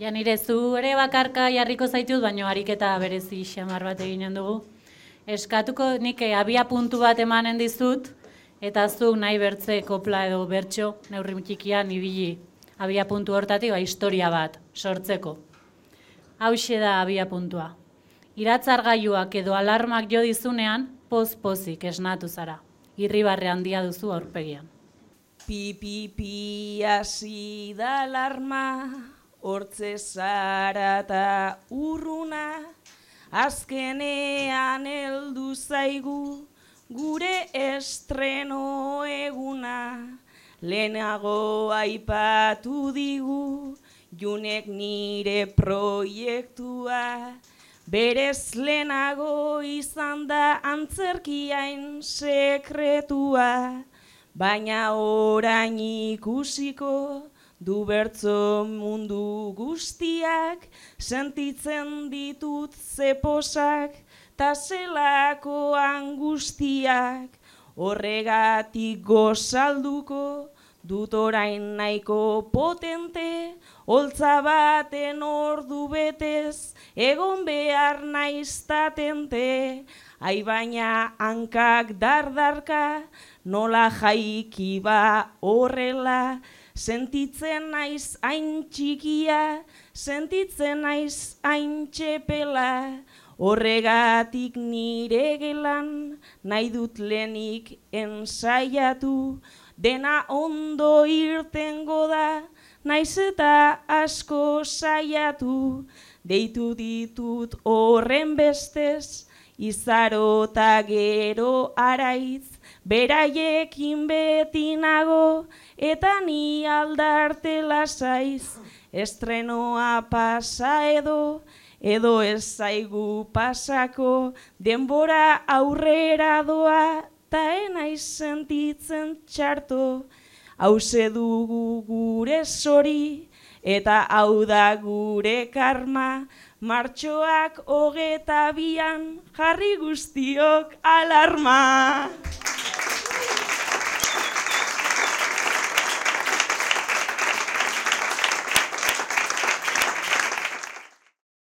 Ja nire zu ere bakarka jarriko zaitut, baina ariketa berezi xamar bat eginen dugu. Eskatuko nik abia puntu bat emanen dizut, eta zu nahi bertze kopla edo bertso, neurri txikian ibili abia puntu hortatik, historia bat sortzeko. Hauxe da abia puntua. Iratzargailuak edo alarmak jo dizunean, poz-pozik esnatu zara. Irribarre handia duzu aurpegian. Pi hasi da alarma, hortze zara eta urruna, azkenean heldu zaigu gure estreno eguna. Lehenago aipatu digu Junek nire proiektua, berez lehenago izan da antzerkiain sekretua, baina orain ikusiko du bertso mundu guztiak, sentitzen ditut zeposak ta zelako angustiak, horregatik gozalduko dut orain nahiko potente, holtza baten ordu betez egon behar naiz tatente, ai baina hankak dardarka, nola jaiki ba horrela, sentitzen naiz hain txikia, sentitzen naiz hain txepela, horregatik nire gelan nahi dut lehenik ensaiatu, dena ondo irtengo da, naiz eta asko saiatu, deitu ditut horren bestez, izaro ta gero araitz, beraiekin beti nago, eta ni aldarte lasaiz, estrenoa pasa edo ez zaigu pasako, denbora aurrera doa, ta enaiz sentitzen txarto, hauze dugu gure zori, eta hau da gure karma, martxoak 22an jarri guztiok alarma.